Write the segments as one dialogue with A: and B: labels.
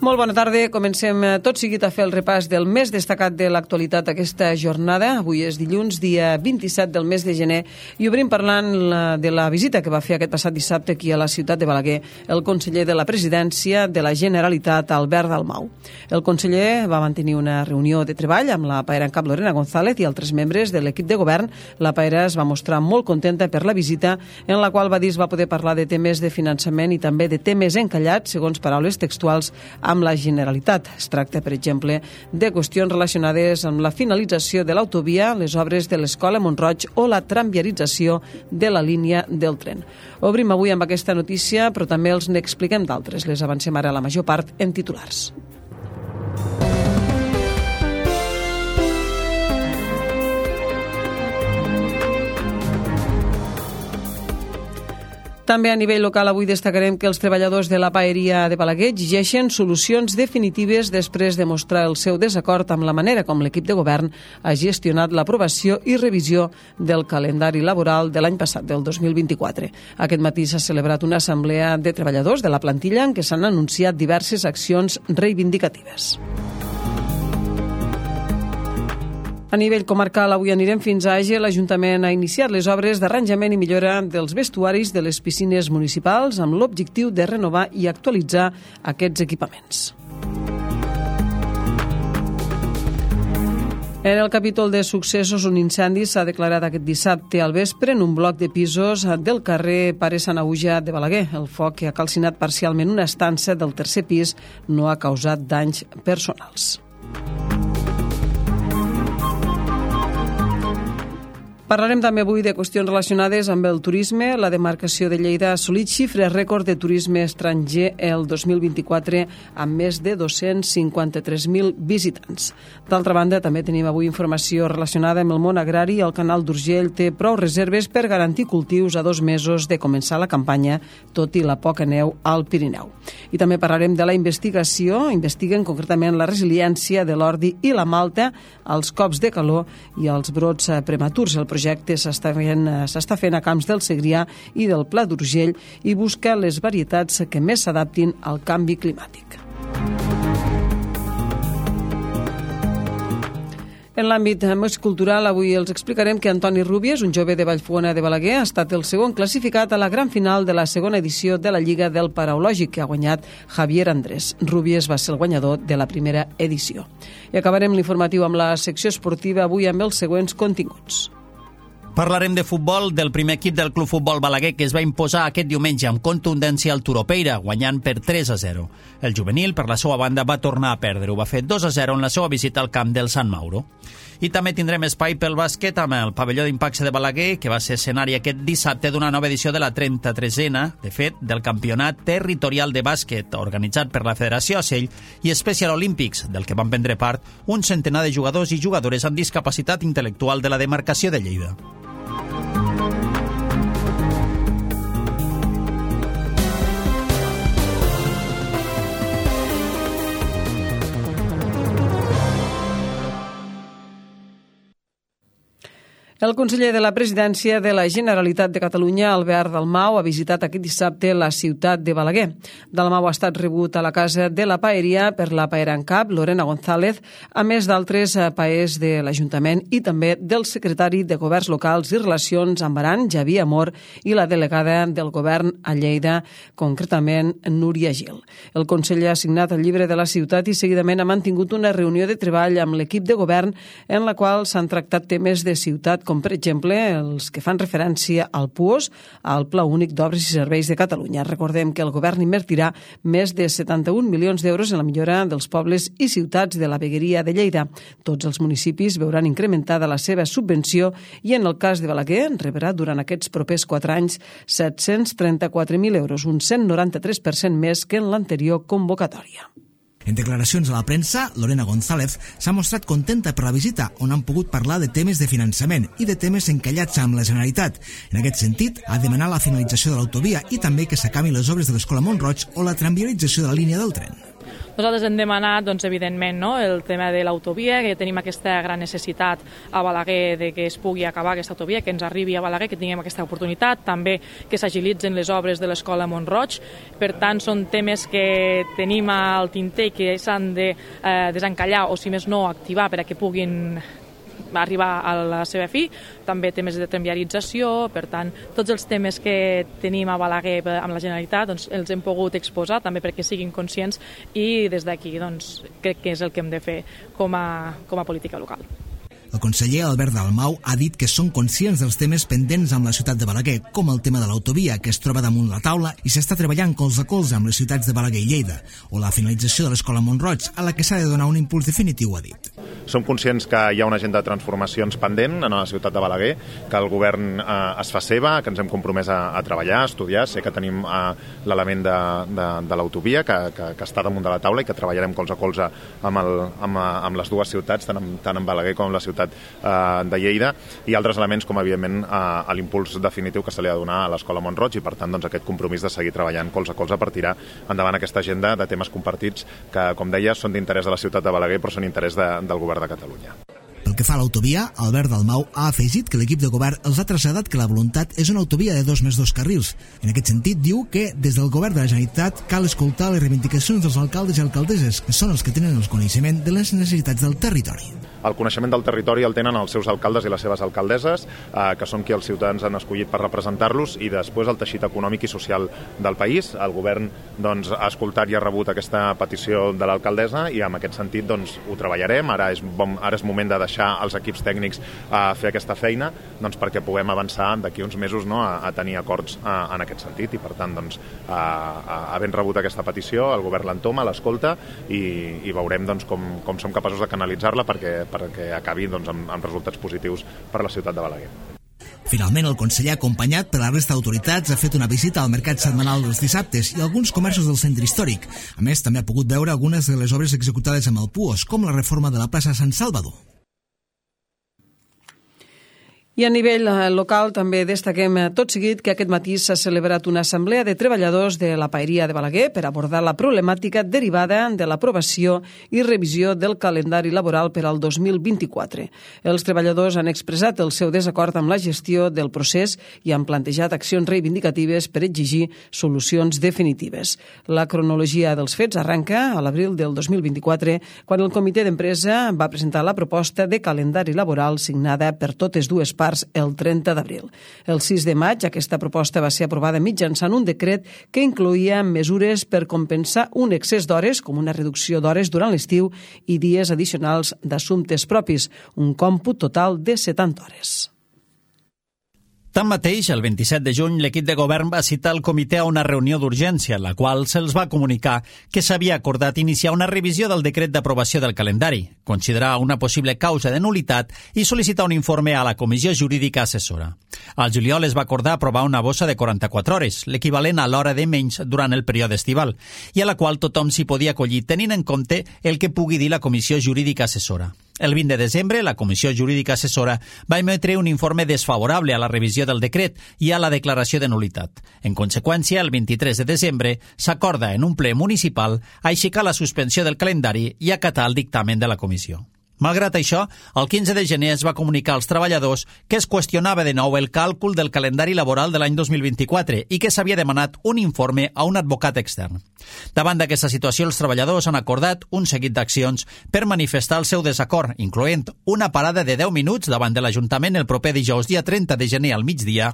A: Molt bona tarda. Comencem tot seguit a fer el repàs del més destacat de l'actualitat aquesta jornada. Avui és dilluns, dia 27 del mes de gener, i obrim parlant de la visita que va fer aquest passat dissabte aquí a la ciutat de Balaguer el conseller de la Presidència de la Generalitat, Albert Dalmau. El conseller va mantenir una reunió de treball amb la paera en cap Lorena González i altres membres de l'equip de govern. La paera es va mostrar molt contenta per la visita, en la qual va dir es va poder parlar de temes de finançament i també de temes encallats, segons paraules textuals, amb la Generalitat. Es tracta, per exemple, de qüestions relacionades amb la finalització de l'autovia, les obres de l'Escola Mont-roig o la tramviarització de la línia del tren. Obrim avui amb aquesta notícia, però també els n'expliquem d'altres. Les avancem ara la major part en titulars. També a nivell local avui destacarem que els treballadors de la paeria de Balaguer exigeixen solucions definitives després de mostrar el seu desacord amb la manera com l'equip de govern ha gestionat l'aprovació i revisió del calendari laboral de l'any passat, del 2024. Aquest matí s'ha celebrat una assemblea de treballadors de la plantilla en què s'han anunciat diverses accions reivindicatives. A nivell comarcal, avui anirem fins a Àger. L'Ajuntament ha iniciat les obres d'arranjament i millora dels vestuaris de les piscines municipals amb l'objectiu de renovar i actualitzar aquests equipaments. En el capítol de successos, un incendi s'ha declarat aquest dissabte al vespre en un bloc de pisos del carrer Pare Sanaüja de Balaguer. El foc, que ha calcinat parcialment una estança del tercer pis, no ha causat danys personals. Parlarem també avui de qüestions relacionades amb el turisme. La demarcació de Lleida ha assolit xifres rècord de turisme estranger el 2024 amb més de 253.000 visitants. D'altra banda, també tenim avui informació relacionada amb el món agrari. El Canal d'Urgell té prou reserves per garantir cultius a 2 mesos de començar la campanya, tot i la poca neu al Pirineu. I també parlarem de la investigació. Investiguen concretament la resiliència de l'ordi i la malta als cops de calor i als brots prematurs. El projecte s'està fent a Camps del Segrià i del Pla d'Urgell i busca les varietats que més s'adaptin al canvi climàtic. En l'àmbit més cultural, avui els explicarem que Antoni Rúbies, un jove de Vallfogona de Balaguer, ha estat el segon classificat a la gran final de la segona edició de la Lliga del Paraulògic, que ha guanyat Javier Andrés. Rúbies va ser el guanyador de la primera edició. I acabarem l'informatiu amb la secció esportiva, avui amb els següents continguts.
B: Parlarem de futbol del primer equip del Club Futbol Balaguer, que es va imposar aquest diumenge amb contundència al Turopeira, guanyant per 3-0. El juvenil, per la seva banda, va tornar a perdre. Ho va fer 2-0 en la seva visita al camp del Sant Mauro. I també tindrem espai pel bàsquet amb el pavelló d'Impacte de Balaguer, que va ser escenari aquest dissabte d'una nova edició de la 33a, de fet, del Campionat Territorial de Bàsquet, organitzat per la Federació Ocell i Special Olympics, del que van prendre part un centenar de jugadors i jugadores amb discapacitat intel·lectual de la demarcació de Lleida.
A: El conseller de la Presidència de la Generalitat de Catalunya, Albert Dalmau, ha visitat aquest dissabte la ciutat de Balaguer. Dalmau ha estat rebut a la casa de la paeria per la paera en cap, Lorena González, a més d'altres paers de l'Ajuntament i també del secretari de Governs Locals i Relacions amb Aran, Javier Amor, i la delegada del govern a Lleida, concretament Núria Gil. El conseller ha signat el llibre de la ciutat i seguidament ha mantingut una reunió de treball amb l'equip de govern en la qual s'han tractat temes de ciutat, com per exemple els que fan referència al PUOS, al Pla Únic d'Obres i Serveis de Catalunya. Recordem que el govern invertirà més de 71 milions d'euros en la millora dels pobles i ciutats de la vegueria de Lleida. Tots els municipis veuran incrementada la seva subvenció i en el cas de Balaguer rebrà durant aquests propers 4 anys 734.000 euros, un 193% més que en l'anterior convocatòria.
C: En declaracions a la premsa, Lorena González s'ha mostrat contenta per la visita, on han pogut parlar de temes de finançament i de temes encallats amb la Generalitat. En aquest sentit, ha demanat la finalització de l'autovia i també que s'acabin les obres de l'Escola Mont-roig o la tramviarització de la línia del tren.
D: Nosaltres hem demanat, doncs, evidentment, el tema de l'autovia, que tenim aquesta gran necessitat a Balaguer de que es pugui acabar aquesta autovia, que ens arribi a Balaguer, que tinguem aquesta oportunitat, també que s'agilitzen les obres de l'escola Mont-roig. Per tant, són temes que tenim al tinter i que s'han de desencallar o, si més no, activar per a que puguin arribar a la seva fi. També temes de tramviarització. Per tant, tots els temes que tenim a Balaguer amb la Generalitat doncs, els hem pogut exposar també perquè siguin conscients i des d'aquí doncs, crec que és el que hem de fer com a política local.
C: El conseller Albert Dalmau ha dit que són conscients dels temes pendents amb la ciutat de Balaguer, com el tema de l'autovia, que es troba damunt la taula i s'està treballant colze a colze amb les ciutats de Balaguer i Lleida, o la finalització de l'escola Mont-roig, a la que s'ha de donar un impuls definitiu, ha dit.
E: Som conscients que hi ha una agenda de transformacions pendent en la ciutat de Balaguer, que el govern es fa seva, que ens hem compromès a treballar, a estudiar. Sé que tenim l'element de l'autovia, que està damunt de la taula i que treballarem colze a colze amb les dues ciutats, tant en Balaguer com en la ciutat de Lleida, i altres elements com, evidentment, l'impuls definitiu que se li ha de donar a l'escola Mont-roig i, per tant, aquest compromís de seguir treballant colze a colze per tirar endavant aquesta agenda de temes compartits que, com deia, són d'interès de la ciutat de Balaguer però són d'interès del govern de Catalunya.
C: Pel que fa a l'autovia, Albert Dalmau ha afegit que l'equip de govern els ha traslladat que la voluntat és una autovia de 2+2 carrils. En aquest sentit, diu que des del govern de la Generalitat cal escoltar les reivindicacions dels alcaldes i alcaldesses, que són els que tenen el coneixement de les necessitats del territori.
E: El coneixement del territori el tenen els seus alcaldes i les seves alcaldesses, que són qui els ciutadans han escollit per representar-los, i després el teixit econòmic i social del país. El govern ha escoltat i ha rebut aquesta petició de l'alcaldessa i en aquest sentit ho treballarem. Ara és moment de deixar els equips tècnics a fer aquesta feina perquè puguem avançar d'aquí uns mesos a tenir acords en aquest sentit i, per tant, havent rebut aquesta petició, el govern l'entoma, l'escolta i veurem com som capaços de canalitzar-la perquè acabi amb resultats positius per a la ciutat de Balaguer.
C: Finalment, el conseller, acompanyat per la resta d'autoritats, ha fet una visita al mercat setmanal dels dissabtes i a alguns comerços del centre històric. A més, també ha pogut veure algunes de les obres executades amb el PUOS, com la reforma de la plaça Sant Salvador.
A: I a nivell local també destaquem tot seguit que aquest matí s'ha celebrat una assemblea de treballadors de la paeria de Balaguer per abordar la problemàtica derivada de l'aprovació i revisió del calendari laboral per al 2024. Els treballadors han expressat el seu desacord amb la gestió del procés i han plantejat accions reivindicatives per exigir solucions definitives. La cronologia dels fets arranca a l'abril del 2024, quan el comitè d'empresa va presentar la proposta de calendari laboral signada per totes dues parts el 30 d'abril. El 6 de maig aquesta proposta va ser aprovada mitjançant un decret que incloïa mesures per compensar un excés d'hores, com una reducció d'hores durant l'estiu i dies addicionals d'assumptes propis, un còmput total de 70 hores.
B: Tanmateix, el 27 de juny, l'equip de govern va citar el comitè a una reunió d'urgència, en la qual se'ls va comunicar que s'havia acordat iniciar una revisió del decret d'aprovació del calendari, considerar una possible causa de nul·litat i sol·licitar un informe a la Comissió Jurídica Assessora. Al juliol es va acordar aprovar una bossa de 44 hores, l'equivalent a l'hora de menys durant el període estival, i a la qual tothom s'hi podia acollir tenint en compte el que pugui dir la Comissió Jurídica Assessora. El 20 de desembre, la Comissió Jurídica Assessora va emetre un informe desfavorable a la revisió del decret i a la declaració de nul·litat. En conseqüència, el 23 de desembre s'acorda en un ple municipal aixecar la suspensió del calendari i acatar el dictamen de la comissió. Malgrat això, el 15 de gener es va comunicar als treballadors que es qüestionava de nou el càlcul del calendari laboral de l'any 2024 i que s'havia demanat un informe a un advocat extern. Davant d'aquesta situació, els treballadors han acordat un seguit d'accions per manifestar el seu desacord, incloent una parada de 10 minuts davant de l'Ajuntament el proper dijous dia 30 de gener al migdia,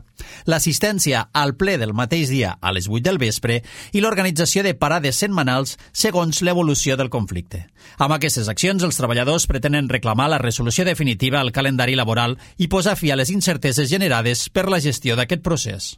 B: l'assistència al ple del mateix dia a les 8 del vespre i l'organització de parades setmanals segons l'evolució del conflicte. Amb aquestes accions, els treballadors pretenen reclamar la resolució definitiva al calendari laboral i posar fi a les incerteses generades per la gestió d'aquest procés.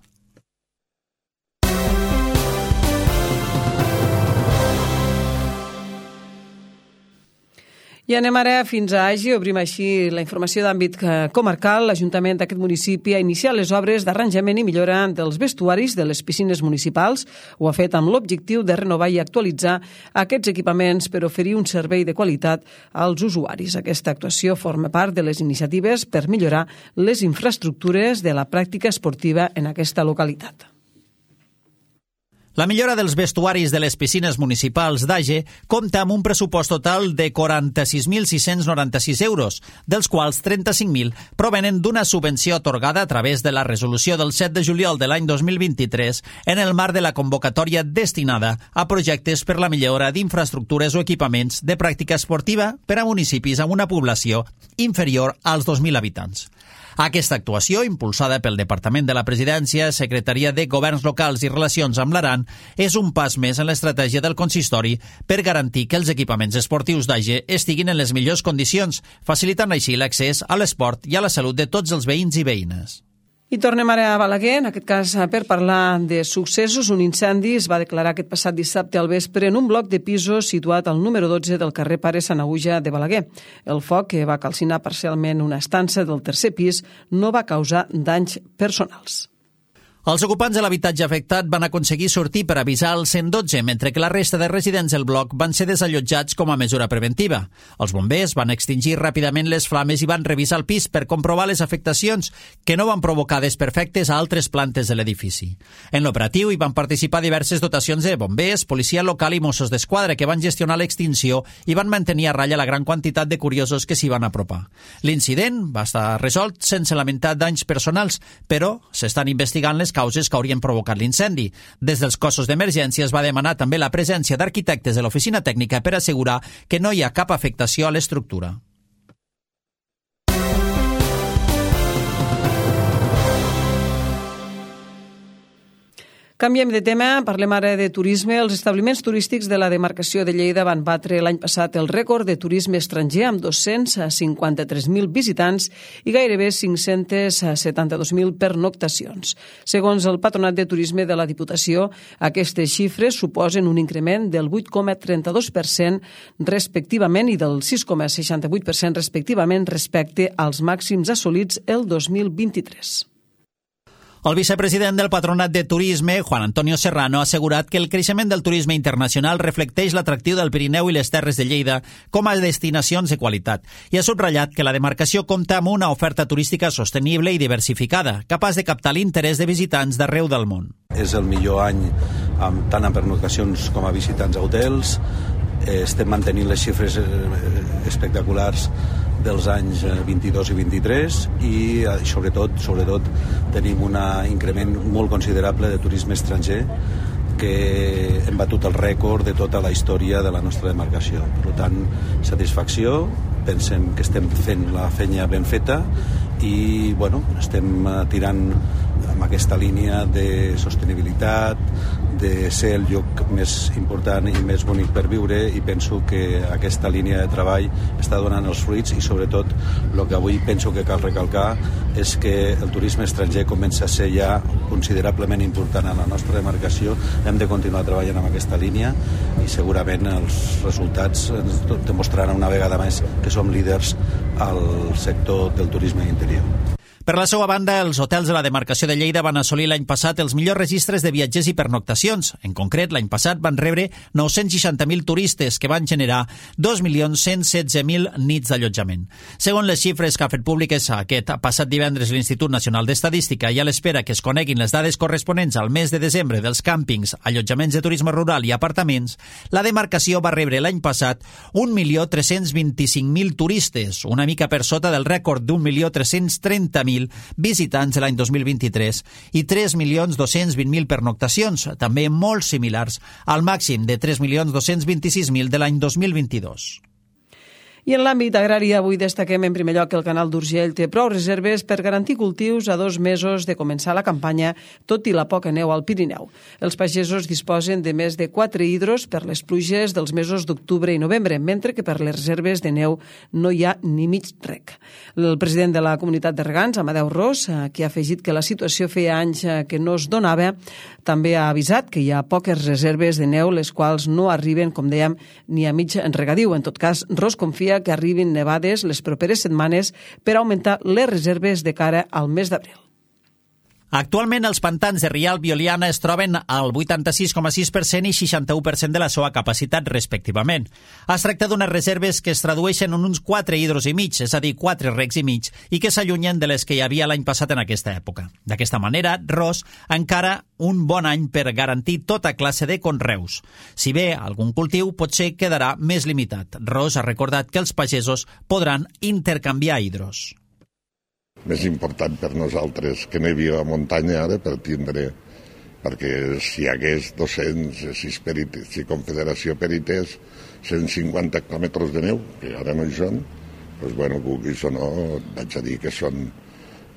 A: I anem ara fins a Agi, obrim així la informació d'àmbit comarcal. L'Ajuntament d'aquest municipi ha iniciat les obres d'arranjament i millora dels vestuaris de les piscines municipals. Ho ha fet amb l'objectiu de renovar i actualitzar aquests equipaments per oferir un servei de qualitat als usuaris. Aquesta actuació forma part de les iniciatives per millorar les infraestructures de la pràctica esportiva en aquesta localitat.
B: La millora dels vestuaris de les piscines municipals d'Age compta amb un pressupost total de 46.696 euros, dels quals 35.000 provenen d'una subvenció atorgada a través de la resolució del 7 de juliol de l'any 2023 en el marc de la convocatòria destinada a projectes per la millora d'infraestructures o equipaments de pràctica esportiva per a municipis amb una població inferior als 2.000 habitants. Aquesta actuació, impulsada pel Departament de la Presidència, Secretaria de Governs Locals i Relacions amb l'Aran, és un pas més en l'estratègia del consistori per garantir que els equipaments esportius d'Age estiguin en les millors condicions, facilitant així l'accés a l'esport i a la salut de tots els veïns i veïnes.
A: I tornem ara a Balaguer, en aquest cas per parlar de successos. Un incendi es va declarar aquest passat dissabte al vespre en un bloc de pisos situat al número 12 del carrer Pare Sanaüja de Balaguer. El foc, que va calcinar parcialment una estança del tercer pis, no va causar danys personals.
B: Els ocupants de l'habitatge afectat van aconseguir sortir per avisar el 112, mentre que la resta de residents del bloc van ser desallotjats com a mesura preventiva. Els bombers van extingir ràpidament les flames i van revisar el pis per comprovar les afectacions que no van provocar desperfectes a altres plantes de l'edifici. En l'operatiu hi van participar diverses dotacions de bombers, policia local i Mossos d'Esquadra que van gestionar l'extinció i van mantenir a ratlla la gran quantitat de curiosos que s'hi van apropar. L'incident va estar resolt sense lamentar danys personals, però s'estan investigant les causes que haurien provocat l'incendi. Des dels cossos d'emergència es va demanar també la presència d'arquitectes de l'oficina tècnica per assegurar que no hi ha cap afectació a l'estructura.
A: Canviem de tema, parlem ara de turisme. Els establiments turístics de la demarcació de Lleida van batre l'any passat el rècord de turisme estranger amb 253.000 visitants i gairebé 572.000 pernoctacions. Segons el Patronat de Turisme de la Diputació, aquestes xifres suposen un increment del 8,32% respectivament i del 6,68% respectivament respecte als màxims assolits el 2023.
B: El vicepresident del Patronat de Turisme, Juan Antonio Serrano, ha assegurat que el creixement del turisme internacional reflecteix l'atractiu del Pirineu i les Terres de Lleida com a destinacions de qualitat i ha subratllat que la demarcació compta amb una oferta turística sostenible i diversificada, capaç de captar l'interès de visitants d'arreu del món.
F: És el millor any tant en pernoctacions com a visitants a hotels. Estem mantenint les xifres espectaculars dels anys 22 i 23 i sobretot tenim un increment molt considerable de turisme estranger que hem batut el rècord de tota la història de la nostra demarcació. Per tant, satisfacció, pensem que estem fent la feina ben feta i estem tirant amb aquesta línia de sostenibilitat, de ser el lloc més important i més bonic per viure, i penso que aquesta línia de treball està donant els fruits i sobretot el que avui penso que cal recalcar és que el turisme estranger comença a ser ja considerablement important a la nostra demarcació. Hem de continuar treballant amb aquesta línia i segurament els resultats ens demostraran una vegada més que som líders al sector del turisme interior.
B: Per la seva banda, els hotels de la demarcació de Lleida van assolir l'any passat els millors registres de viatgers i pernoctacions. En concret, l'any passat van rebre 960.000 turistes que van generar 2.116.000 nits d'allotjament. Segons les xifres que ha fet públiques aquest passat divendres l'Institut Nacional d'Estadística i a l'espera que es coneguin les dades corresponents al mes de desembre dels càmpings, allotjaments de turisme rural i apartaments, la demarcació va rebre l'any passat 1.325.000 turistes, una mica per sota del rècord d'1.330.000 visitants de l'any 2023 i 3.220.000 pernoctacions, també molt similars al màxim de 3.226.000 de l'any 2022.
A: I en l'àmbit agrari, avui destaquem en primer lloc que el Canal d'Urgell té prou reserves per garantir cultius a 2 mesos de començar la campanya, tot i la poca neu al Pirineu. Els pagesos disposen de més de 4 hidros per les pluges dels mesos d'octubre i novembre, mentre que per les reserves de neu no hi ha ni mig rec. El president de la comunitat de regants, Amadeu Ros, que ha afegit que la situació feia anys que no es donava, també ha avisat que hi ha poques reserves de neu, les quals no arriben, com dèiem, ni a mig regadiu. En tot cas, Ros confia que arribin nevades les properes setmanes per augmentar les reserves de cara al mes d'abril.
B: Actualment, els pantans de Rialb i Oliana es troben al 86,6% i 61% de la seva capacitat, respectivament. Es tracta d'unes reserves que es tradueixen en uns 4 hidros i mig, és a dir, 4 recs i mig, i que s'allunyen de les que hi havia l'any passat en aquesta època. D'aquesta manera, Ros encara un bon any per garantir tota classe de conreus. Si bé algun cultiu potser quedarà més limitat. Ros ha recordat que els pagesos podran intercanviar hidros.
G: Més important per nosaltres que nevi a la muntanya ara per tindre, perquè si hi hagués 200, si Confederació perités 150 hectòmetres de neu, que ara no hi són, doncs bueno, vulguis o no, vaig a dir que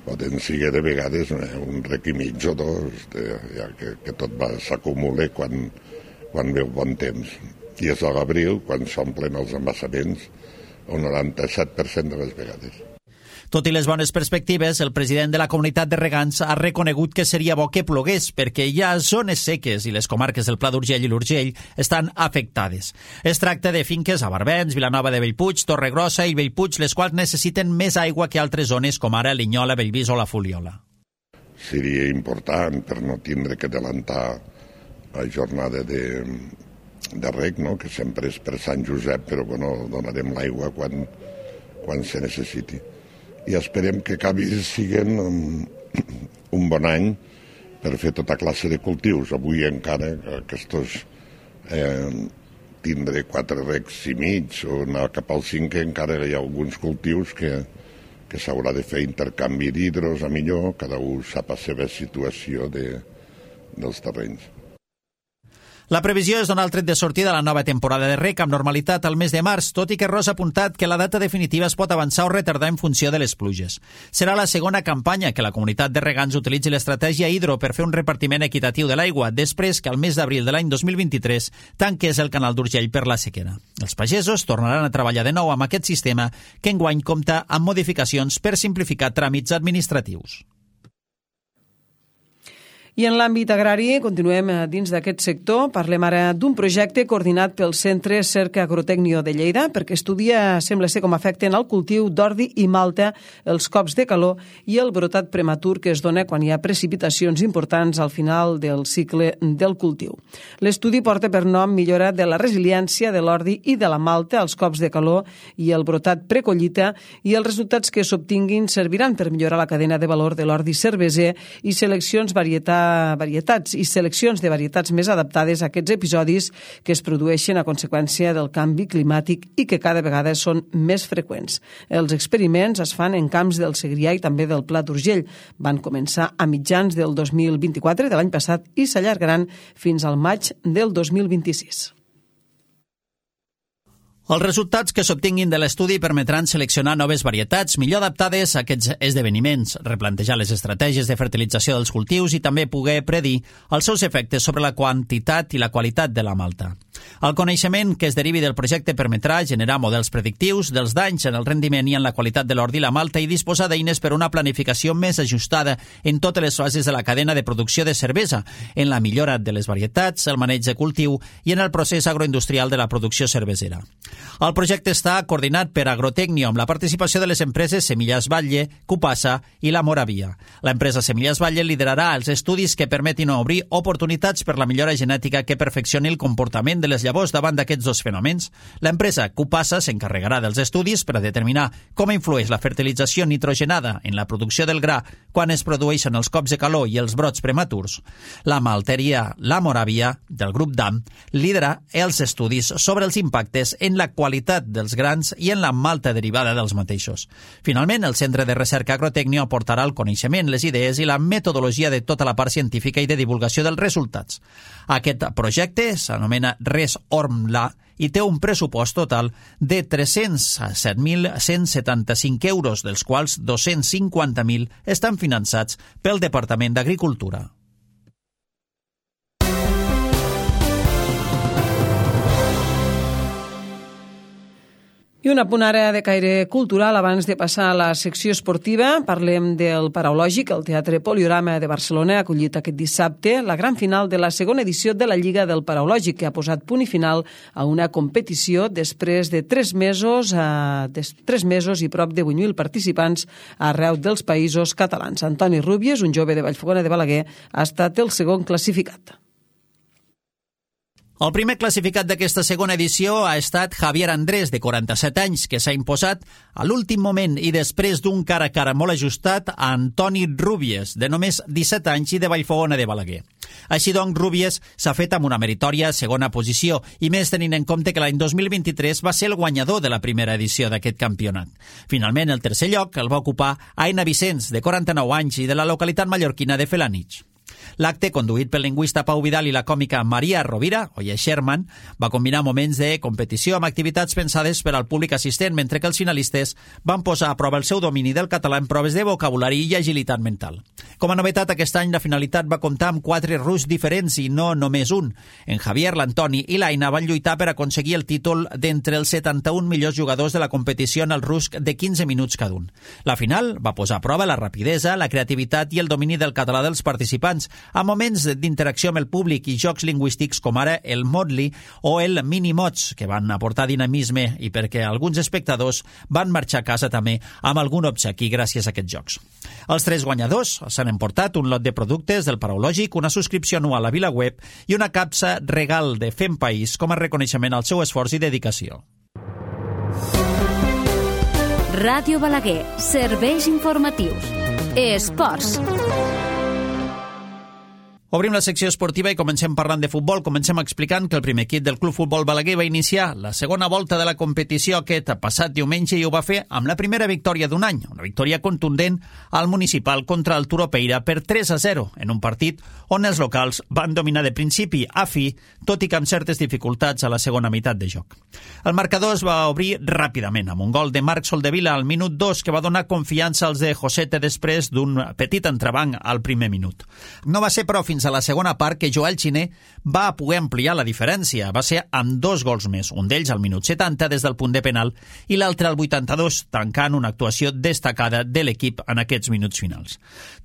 G: poden ser de vegades un rec i mig o dos, ja que tot s'acumula quan veu bon temps. I és a l'abril, quan s'omplen els embassaments, un 97% de les vegades.
B: Tot i les bones perspectives, el president de la comunitat de regants ha reconegut que seria bo que plogués perquè hi ha zones seques i les comarques del Pla d'Urgell i l'Urgell estan afectades. Es tracta de finques a Barbens, Vilanova de Bellpuig, Torregrossa i Bellpuig, les quals necessiten més aigua que altres zones com ara Linyola, Bellvís o la Fuliola.
G: Seria important per no tindre que adelantar la jornada de rec, no? Que sempre és per Sant Josep, però bueno, donarem l'aigua quan se necessiti. I esperem que acabi sent un bon any per fer tota classe de cultius. Avui encara aquests tindré 4 recs i mig o anar cap al 5, encara hi ha alguns cultius que s'haurà de fer intercanvi d'hidros a millor, cada un sap la seva situació dels terrenys.
B: La previsió és donar el tret de sortida a la nova temporada de rec amb normalitat al mes de març, tot i que Ros ha apuntat que la data definitiva es pot avançar o retardar en funció de les pluges. Serà la segona campanya que la comunitat de regants utilitzi l'estratègia hidro per fer un repartiment equitatiu de l'aigua, després que al mes d'abril de l'any 2023 tanqués el canal d'Urgell per la sequera. Els pagesos tornaran a treballar de nou amb aquest sistema que enguany compta amb modificacions per simplificar tràmits administratius.
A: I en l'àmbit agrari, continuem dins d'aquest sector. Parlem ara d'un projecte coordinat pel Centre Cerca Agrotècnio de Lleida perquè estudia, sembla ser, com afecten al cultiu d'ordi i malta els cops de calor i el brotat prematur que es dona quan hi ha precipitacions importants al final del cicle del cultiu. L'estudi porta per nom millora de la resiliència de l'ordi i de la malta als cops de calor i el brotat precollita, i els resultats que s'obtinguin serviran per millorar la cadena de valor de l'ordi cerveser i seleccions de varietats més adaptades a aquests episodis que es produeixen a conseqüència del canvi climàtic i que cada vegada són més freqüents. Els experiments es fan en camps del Segrià i també del Pla d'Urgell. Van començar a mitjans del 2024 de l'any passat i s'allargaran fins al maig del 2026.
B: Els resultats que s'obtinguin de l'estudi permetran seleccionar noves varietats millor adaptades a aquests esdeveniments, replantejar les estratègies de fertilització dels cultius i també poder predir els seus efectes sobre la quantitat i la qualitat de la malta. El coneixement que es derivi del projecte permetrà generar models predictius dels danys en el rendiment i en la qualitat de l'ordi i la malta i disposar d'eines per una planificació més ajustada en totes les fases de la cadena de producció de cervesa, en la millora de les varietats, el maneig de cultiu i en el procés agroindustrial de la producció cervesera. El projecte està coordinat per Agrotècnio amb la participació de les empreses Semillas Batlle, Cupasa i La Moravia. L'empresa Semillas Batlle liderarà els estudis que permetin obrir oportunitats per la millora genètica que perfeccioni el comportament de les llavors davant d'aquests dos fenòmens. L'empresa Cupasa s'encarregarà dels estudis per a determinar com influeix la fertilització nitrogenada en la producció del gra quan es produeixen els cops de calor i els brots prematurs. La malteria La Moravia, del grup DAM, lidera els estudis sobre els impactes en la qualitat dels grans i en la malta derivada dels mateixos. Finalment, el Centre de Recerca Agrotècnio aportarà el coneixement, les idees i la metodologia de tota la part científica i de divulgació dels resultats. Aquest projecte s'anomena RES-ORMLA i té un pressupost total de 307.175 euros, dels quals 250.000 estan finançats pel Departament d'Agricultura.
A: I un apunt ara de caire cultural abans de passar a la secció esportiva. Parlem del Paraulògic. El Teatre Poliorama de Barcelona ha acollit aquest dissabte la gran final de la segona edició de la Lliga del Paraulògic, que ha posat punt i final a una competició després de 3 mesos i prop de 8.000 participants arreu dels països catalans. Antoni Rúbies, un jove de Vallfogona de Balaguer, ha estat el segon classificat.
B: El primer classificat d'aquesta segona edició ha estat Javier Andrés, de 47 anys, que s'ha imposat a l'últim moment i després d'un cara a cara molt ajustat a Antoni Rúbies, de només 17 anys i de Vallfogona de Balaguer. Així doncs, Rúbies s'ha fet amb una meritòria segona posició, i més tenint en compte que l'any 2023 va ser el guanyador de la primera edició d'aquest campionat. Finalment, el tercer lloc el va ocupar Aina Vicenç, de 49 anys i de la localitat mallorquina de Felanitx. L'acte, conduït pel lingüista Pau Vidal i la còmica Maria Rovira, Oye Sherman, va combinar moments de competició amb activitats pensades per al públic assistent, mentre que els finalistes van posar a prova el seu domini del català en proves de vocabulari i agilitat mental. Com a novetat, aquest any la finalitat va comptar amb 4 ruscs diferents i no només un. En Javier, l'Antoni i l'Aina van lluitar per aconseguir el títol d'entre els 71 millors jugadors de la competició en el rusc de 15 minuts cada un. La final va posar a prova la rapidesa, la creativitat i el domini del català dels participants, a moments d'interacció amb el públic i jocs lingüístics com ara el Modli o el Minimots, que van aportar dinamisme i perquè alguns espectadors van marxar a casa també amb algun obsequi gràcies a aquests jocs. Els 3 guanyadors s'han emportat un lot de productes del Paraulògic, una subscripció anual a VilaWeb i una capsa regal de Fem País com a reconeixement al seu esforç i dedicació.
H: Ràdio Balaguer, serveis informatius. Esports.
B: Obrim la secció esportiva i comencem parlant de futbol. Comencem explicant que el primer equip del Club Futbol Balaguer va iniciar la segona volta de la competició aquest passat diumenge i ho va fer amb la primera victòria d'un any, una victòria contundent al municipal contra el Turopeira per 3-0, en un partit on els locals van dominar de principi a fi, tot i que amb certes dificultats a la segona meitat de joc. El marcador es va obrir ràpidament amb un gol de Marc Soldevila al minut 2 que va donar confiança als de Josete després d'un petit entrebanc al primer minut. No va ser, però, fins a la segona part que Joel Xiner va poder ampliar la diferència. Va ser amb 2 gols més, un d'ells al minut 70 des del punt de penal i l'altre al 82, tancant una actuació destacada de l'equip en aquests minuts finals.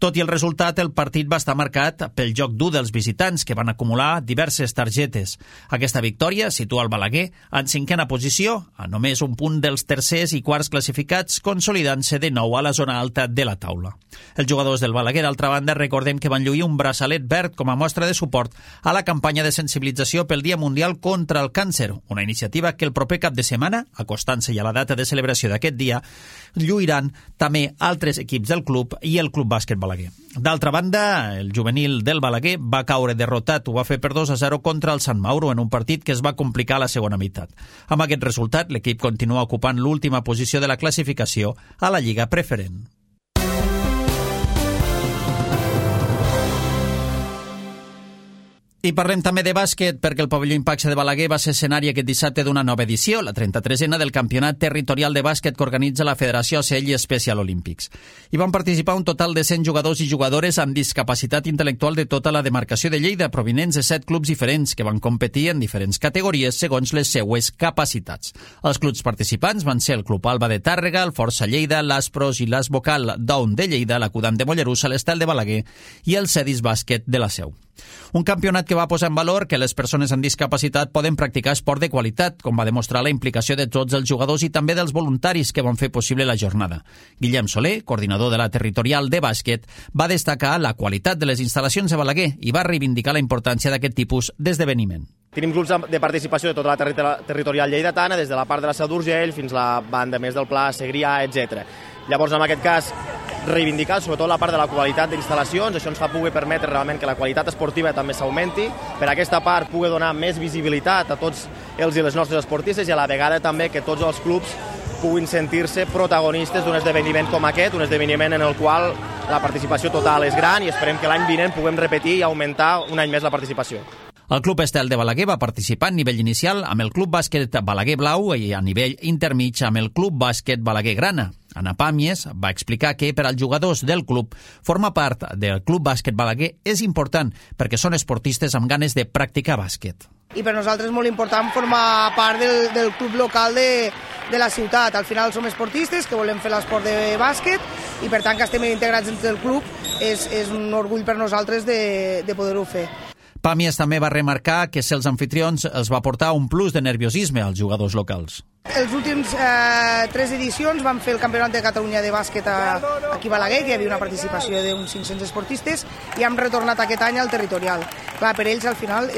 B: Tot i el resultat, el partit va estar marcat pel joc dur dels visitants, que van acumular diverses targetes. Aquesta victòria situa el Balaguer en 5a posició, a només un punt dels tercers i quarts classificats, consolidant-se de nou a la zona alta de la taula. Els jugadors del Balaguer, d'altra banda, recordem que van lluir un braçalet verd com a mostra de suport a la campanya de sensibilització pel Dia Mundial contra el Càncer, una iniciativa que el proper cap de setmana, acostant-se ja a la data de celebració d'aquest dia, lluiran també altres equips del club i el Club Bàsquet Balaguer. D'altra banda, el juvenil del Balaguer va caure derrotat, ho va fer per 2-0 contra el Sant Mauro en un partit que es va complicar a la segona meitat. Amb aquest resultat, l'equip continua ocupant l'última posició de la classificació a la Lliga Preferent. I parlem també de bàsquet perquè el pavelló Impaxe de Balaguer va ser escenari aquest dissabte d'una nova edició, la 33a del Campionat Territorial de Bàsquet que organitza la Federació ACL i Special Olympics. Hi van participar un total de 100 jugadors i jugadores amb discapacitat intel·lectual de tota la demarcació de Lleida, provinents de 7 clubs diferents que van competir en diferents categories segons les seues capacitats. Els clubs participants van ser el Club Alba de Tàrrega, el Força Lleida, l'Aspros i l'Asbocal Down de Lleida, l'Acudant de Mollerussa, l'Estel de Balaguer i el Cedis Bàsquet de la Seu. Un campionat que va posar en valor que les persones amb discapacitat poden practicar esport de qualitat, com va demostrar la implicació de tots els jugadors i també dels voluntaris que van fer possible la jornada. Guillem Soler, coordinador de la territorial de bàsquet, va destacar la qualitat de les instal·lacions de Balaguer i va reivindicar la importància d'aquest tipus d'esdeveniment.
I: Tenim grups de participació de tota la territorial lleidatana, des de la part de la Seu d'Urgell fins a la banda més del Pla, Segrià, etc. Llavors, en aquest cas, reivindicar sobretot la part de la qualitat d'instal·lacions, això ens fa poder permetre realment que la qualitat esportiva també s'augmenti, per aquesta part poder donar més visibilitat a tots els i les nostres esportistes i a la vegada també que tots els clubs puguin sentir-se protagonistes d'un esdeveniment com aquest, un esdeveniment en el qual la participació total és gran i esperem que l'any vinent puguem repetir i augmentar un any més la participació.
B: El Club Estel de Balaguer va participar a nivell inicial amb el Club Bàsquet Balaguer Blau i a nivell intermig amb el Club Bàsquet Balaguer Grana. Ana Pàmies va explicar que per als jugadors del club formar part del Club Bàsquet Balaguer és important perquè són esportistes amb ganes de practicar bàsquet.
J: I per nosaltres és molt important formar part del club local de la ciutat. Al final som esportistes que volem fer l'esport de bàsquet i per tant que estem integrats dins del club és un orgull per nosaltres de poder-ho fer.
B: Pàmies també va remarcar que si els anfitrions els va portar un plus de nerviosisme als jugadors locals.
J: Els últims 3 edicions vam fer el Campionat de Catalunya de bàsquet aquí a Balaguer, que hi havia una participació d'uns 500 esportistes, i hem retornat aquest any al territorial. Clar, per ells al final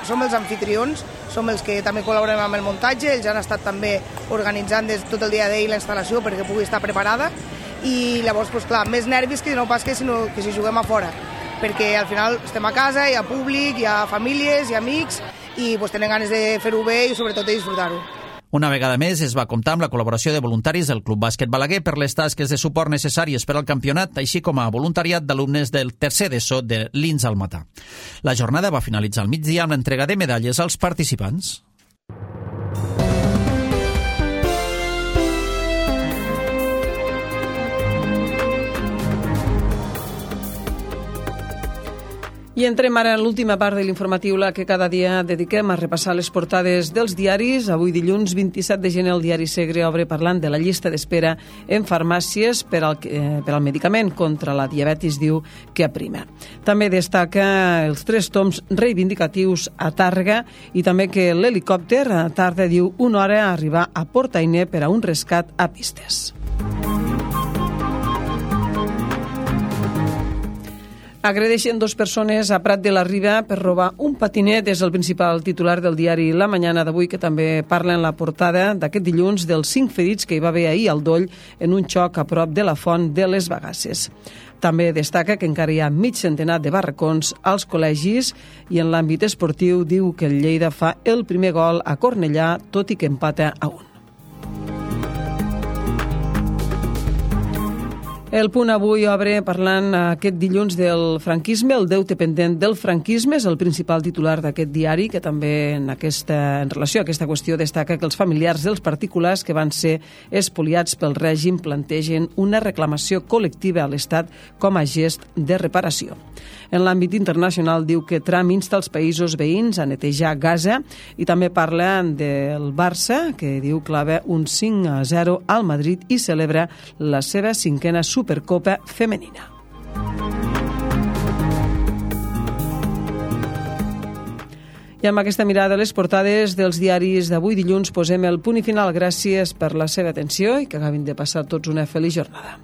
J: som els anfitrions, som els que també col·laborem amb el muntatge, ells han estat també organitzant tot el dia d'ahir la instal·lació perquè pugui estar preparada, i llavors, clar, més nervis que no pas que si juguem a fora, perquè al final estem a casa, hi ha públic, hi ha famílies, hi ha amics, i tenen ganes de fer-ho bé i sobretot de disfrutar-ho.
B: Una vegada més es va comptar amb la col·laboració de voluntaris del Club Bàsquet Balaguer per les tasques de suport necessàries per al campionat, així com a voluntariat d'alumnes del tercer d'ESO de l'INS al Matà. La jornada va finalitzar al migdia amb l'entrega de medalles als participants.
A: I entrem ara en l'última part de l'informatiu, la que cada dia dediquem a repassar les portades dels diaris. Avui, dilluns 27 de gener, el diari Segre obre parlant de la llista d'espera en farmàcies per al medicament contra la diabetis, diu que aprima. També destaca els 3 toms reivindicatius a Tàrrega i també que l'helicòpter tarda, diu, 1 hora a arribar a Portainer per a un rescat a pistes. Agredeixen 2 persones a Prat de la Riba per robar un patinet. És el principal titular del diari La Mañana d'avui, que també parla en la portada d'aquest dilluns dels 5 ferits que hi va haver ahir al Doll en un xoc a prop de la Font de les Bagasses. També destaca que encara hi ha mig centenar de barracons als col·legis i en l'àmbit esportiu diu que el Lleida fa el primer gol a Cornellà, tot i que empata a 1. El Punt avui obre parlant aquest dilluns del franquisme, el deute pendent del franquisme, és el principal titular d'aquest diari, que també en relació a aquesta qüestió destaca que els familiars dels particulars que van ser espoliats pel règim plantegen una reclamació col·lectiva a l'Estat com a gest de reparació. En l'àmbit internacional diu que Trump insta els països veïns a netejar Gaza i també parla del Barça, que diu clava un 5-0 al Madrid i celebra la seva 5a Supercopa femenina. I amb aquesta mirada a les portades dels diaris d'avui dilluns posem el punt i final. Gràcies per la seva atenció i que acabin de passar tots una feliç jornada.